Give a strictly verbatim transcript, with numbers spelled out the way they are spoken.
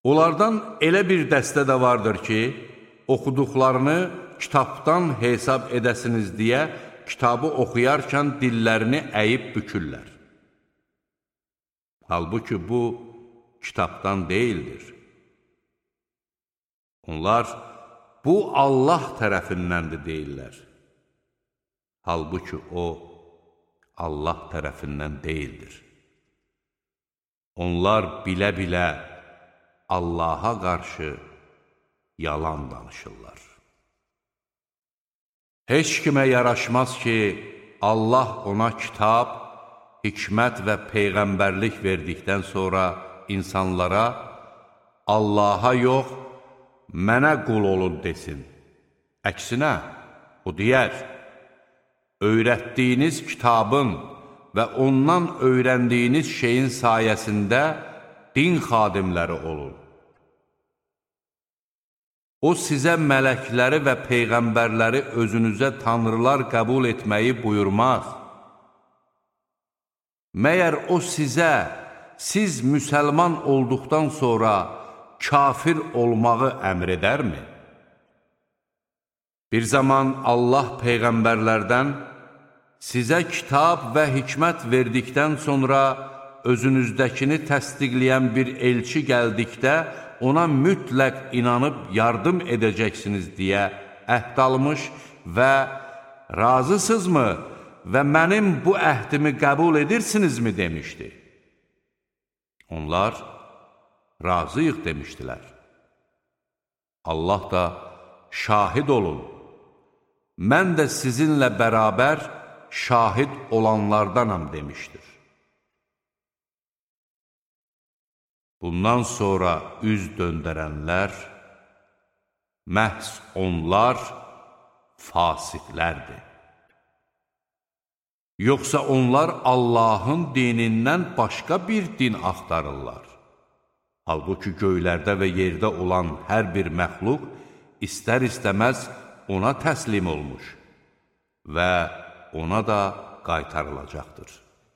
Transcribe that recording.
Onlardan elə bir dəstə də vardır ki, oxuduqlarını kitabdan hesab edəsiniz deyə kitabı oxuyarkən dillərini əyib bükürlər. Halbuki bu, kitabdan deyildir. Onlar, bu Allah tərəfindəndir deyirlər. Halbuki o, Allah tərəfindən deyildir. Onlar bilə-bilə Allaha qarşı yalan danışırlar. Heç kimə yaraşmaz ki, Allah ona kitab, hikmət və peyğəmbərlik verdikdən sonra insanlara Allaha yox, mənə qul olun desin. Əksinə, o deyər, öyrətdiyiniz kitabın və ondan öyrəndiyiniz şeyin sayəsində din xadimləri olun. O, sizə mələkləri və peyğəmbərləri özünüzə tanrılar qəbul etməyi buyurmaz. Məyər o sizə, siz müsəlman olduqdan sonra kafir olmağı əmr edərmi? Bir zaman Allah peyğəmbərlərdən sizə kitab və hikmət verdikdən sonra özünüzdəkini təsdiqləyən bir elçi gəldikdə ona mütləq inanıb yardım edəcəksiniz deyə əhd almış və razısızmı və mənim bu əhdimi qəbul edirsinizmi demişdi. Onlar razıyıq demişdilər. Allah da şahid olun, mən də sizinlə bərabər şahid olanlardanam demişdir. Bundan sonra üz döndərənlər, məhz onlar fasiqlərdir. Yoxsa onlar Allahın dinindən başqa bir din axtarırlar. Halbuki göylərdə və yerdə olan hər bir məxluq istər-istəməz ona təslim olmuş və ona da qaytarılacaqdır.